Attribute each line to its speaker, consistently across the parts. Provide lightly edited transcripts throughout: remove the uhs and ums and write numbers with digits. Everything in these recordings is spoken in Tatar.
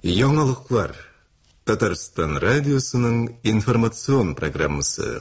Speaker 1: Яңалыклар. Татарстан радиосының информацион программасы.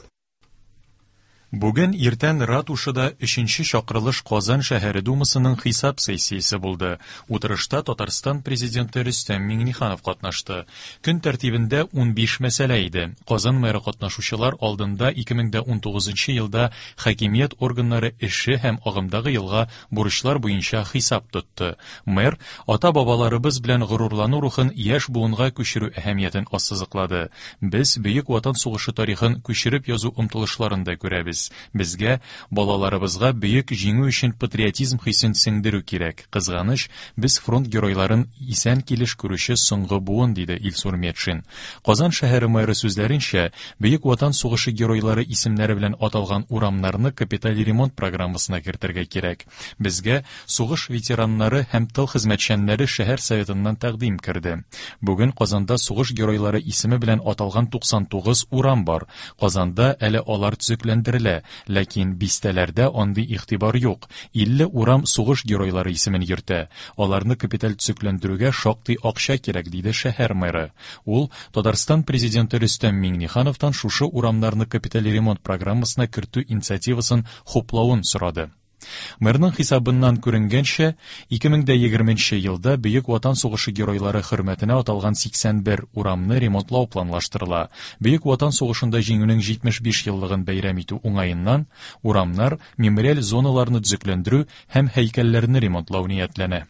Speaker 2: Бүген иртән Ратушада өченче чакырылыш Казан шәһәре Думасының хисап сессиясе булды. Утырышта Татарстан Президенты Рөстәм Миңнеханов катнашты. Көн тәртибендә 15 мәсьәлә иде. Казан мэры катнашучылар алдында 2019 елда хакимият органнары эше һәм агымдагы елга бурычлар буенча хисап тотты. Мэр ата-бабаларыбыз белән горурлану рухын яшь буынга күчерү әһәмиятен ассызыклады. Без Бөек Ватан сугышы тарихын күчереп язу омтылышларын да күрәбез. Безгә, балаларыбызга бөек җиңү өчен патриотизм хисен сеңдерү кирәк. Кызганыч, без фронт геройларын исән килеш күрүче соңгы буын, диде Илсур Метшин. Казан шәһәре мэры сүзләренчә, Бөек Ватан сугышы геройлары исемнәре белән аталган урамнарны капиталь ремонт программасына кертергә кирәк. Безгә сугыш ветераннары һәм тыл хезмәтчәннәре шәһәр советыннан тәкъдим керде. Бүген Казанда сугыш геройлары исеме белән аталган 99 урам бар. Казанда әле алар төзекләндерелә, ләкин бистәләрдә андый игътибар юк. 50 урам сугыш геройлары исемен йөртә. Аларны капиталь төзекләндерүгә шактый акча кирәк, диде шәһәр мэры. Ул Татарстан Президенты Рөстәм Миңнехановтан шушы урамнарны капиталь ремонт программасына кертү инициативасын хуплавын сорады. Мэрның хисабыннан күренгәнчә, 2020 елда Бөек Ватан сугышы геройлары хөрмәтенә аталган 81 урамны ремонтлау планлаштырыла. Бөек Ватан сугышында җиңүнең 75 еллыгын бәйрәм итү уңаеннан урамнар, мемориаль зоналарны төзекләндерү һәм һәйкәлләрне ремонтлау ниятләнә.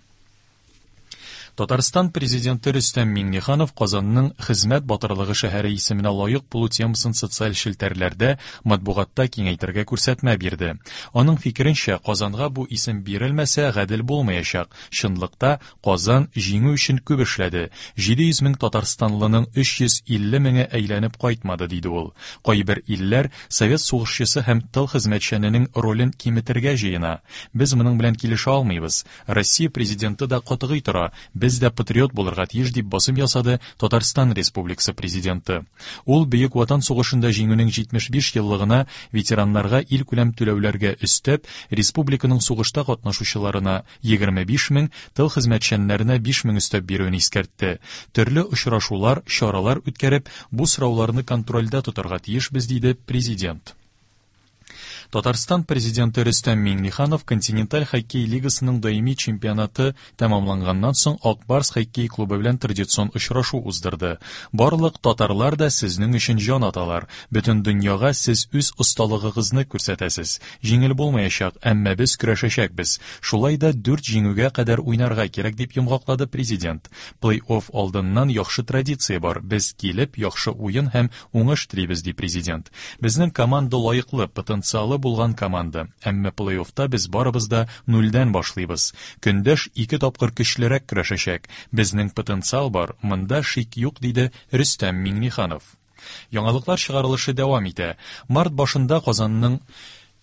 Speaker 2: Татарстан Президенты Рөстәм Миңнеханов Казанның Хезмәт батырлыгы шәһәре исеменә лаек булу темасын социаль челтәрләрдә, матбугатта киңәйтергә күрсәтмә бирде. Аның фикеренчә, Казанга бу исем бирелмәсә, гадел булмаячак. Чынлыкта, Казан җиңү өчен күп эшләде. 700 мең татарстанлының 350 меңе әйләнеп кайтмады, диде ул. Кайбер илләр совет сугышчысы һәм тыл хезмәтчәненең ролен киметергә җыена. Без моның белән килешә алмыйбыз. Россия Президенты да катгый тора, без дә патриот булырга тиеш, дип басым ясады Татарстан Республикасы Президенты. Ул Бөек Ватан сугышында җиңүнең 75 еллыгына ветераннарга илкүләм түләүләргә өстәп, республиканың сугышта катнашучыларына 25 мең, тыл хезмәтчәннәренә 5 мең өстәп бирүен искәртте. Төрле очрашулар, чаралар үткәреп, бу сорауларны контрольдә тотарга тиешбез, диде Президент. Татарстан Президенты Рөстәм Миңнеханов Континенталь хоккей лигасының даими чемпионаты тәмамланганнан соң Ак Барс хоккей клубы белән традицион очрашу уздырды. Барлык татарлар да сезнең өчен җан аталар. Бөтен дөньяга сез үз осталыгыгызны күрсәтәсез. Җиңел булмаячак, әмма без көрәшәчәкбез. Шулай да дүрт җиңүгә кадәр уйнарга кирәк, дип йомгаклады Президент. Плей-офф алдыннан яхшы традиция бар. Без килеп, яхшы уен һәм Уңыш телибез, ди президент. Безнең команда лаеклы, потенциалы булган команда. Әмма плей-оффта без барыбыз да нульдән башлыйбыз. Көндәш ике тапкыр көчлерәк көрәшәчәк. Безнең потенциал бар, монда шик юк, диде Рөстәм Миңнеханов. Яңалыклар чыгарылышы дәвам итә. Март башында Казанның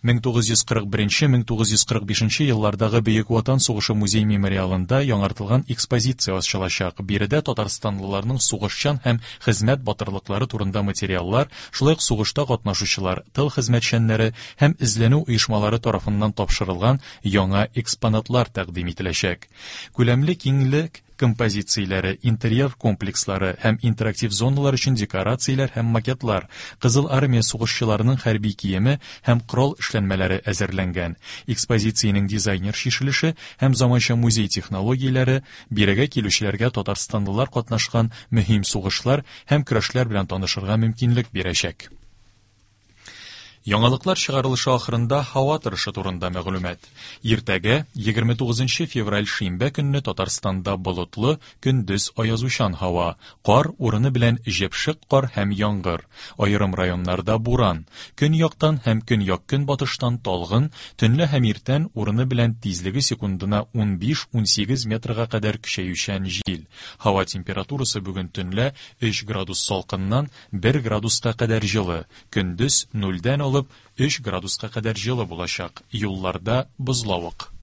Speaker 2: 1941-1945 еллардагы Бөек Ватан сугышы музей-мемориалында яңартылган экспозиция ачылачак. Биредә татарстанлыларның сугышчан һәм хезмәт батырлыклары турында материаллар, шулай ук сугышта катнашучылар, тыл хезмәтчәннәре һәм эзләнү оешмалары тарафыннан тапшырылган яңа экспонатлар тәкъдим ителәчәк. Күләмле киңлек композицияләре, интерьер комплекслары һәм интерактив зоналар өчен декорацияләр һәм макетлар, Кызыл Армия сугышчыларының хәрби киеме һәм корал эшләнмәләре әзерләнгән. Экспозициянең дизайнер чишелеше һәм заманча музей технологияләре бирегә килүчеләргә татарстанлылар катнашкан мөһим сугышлар һәм көрәшләр белән танышырга мөмкинлек бирәчәк. Яңалыклар чыгарылышы ахырында һава торышы турында мәгълүмат. Иртәгә, 29 февраль шимбә көнне Татарстанда болытлы, көндез аязучан һава, кар урыны белән җепшек кар һәм яңгыр. Аерым районнарда буран. Көньяктан һәм көньяк-көнбатыштан талгын, төнлә һәм иртән урыны белән тизлеге секундына 15-18 метрга кадәр көчәючән җил. Һава температурасы бүген төнлә 3 градус салкыннан 1 градуска кадәр җылы, Көндез нульдән алып өч градуска кадәр җылы булачак, юлларда бозлавык.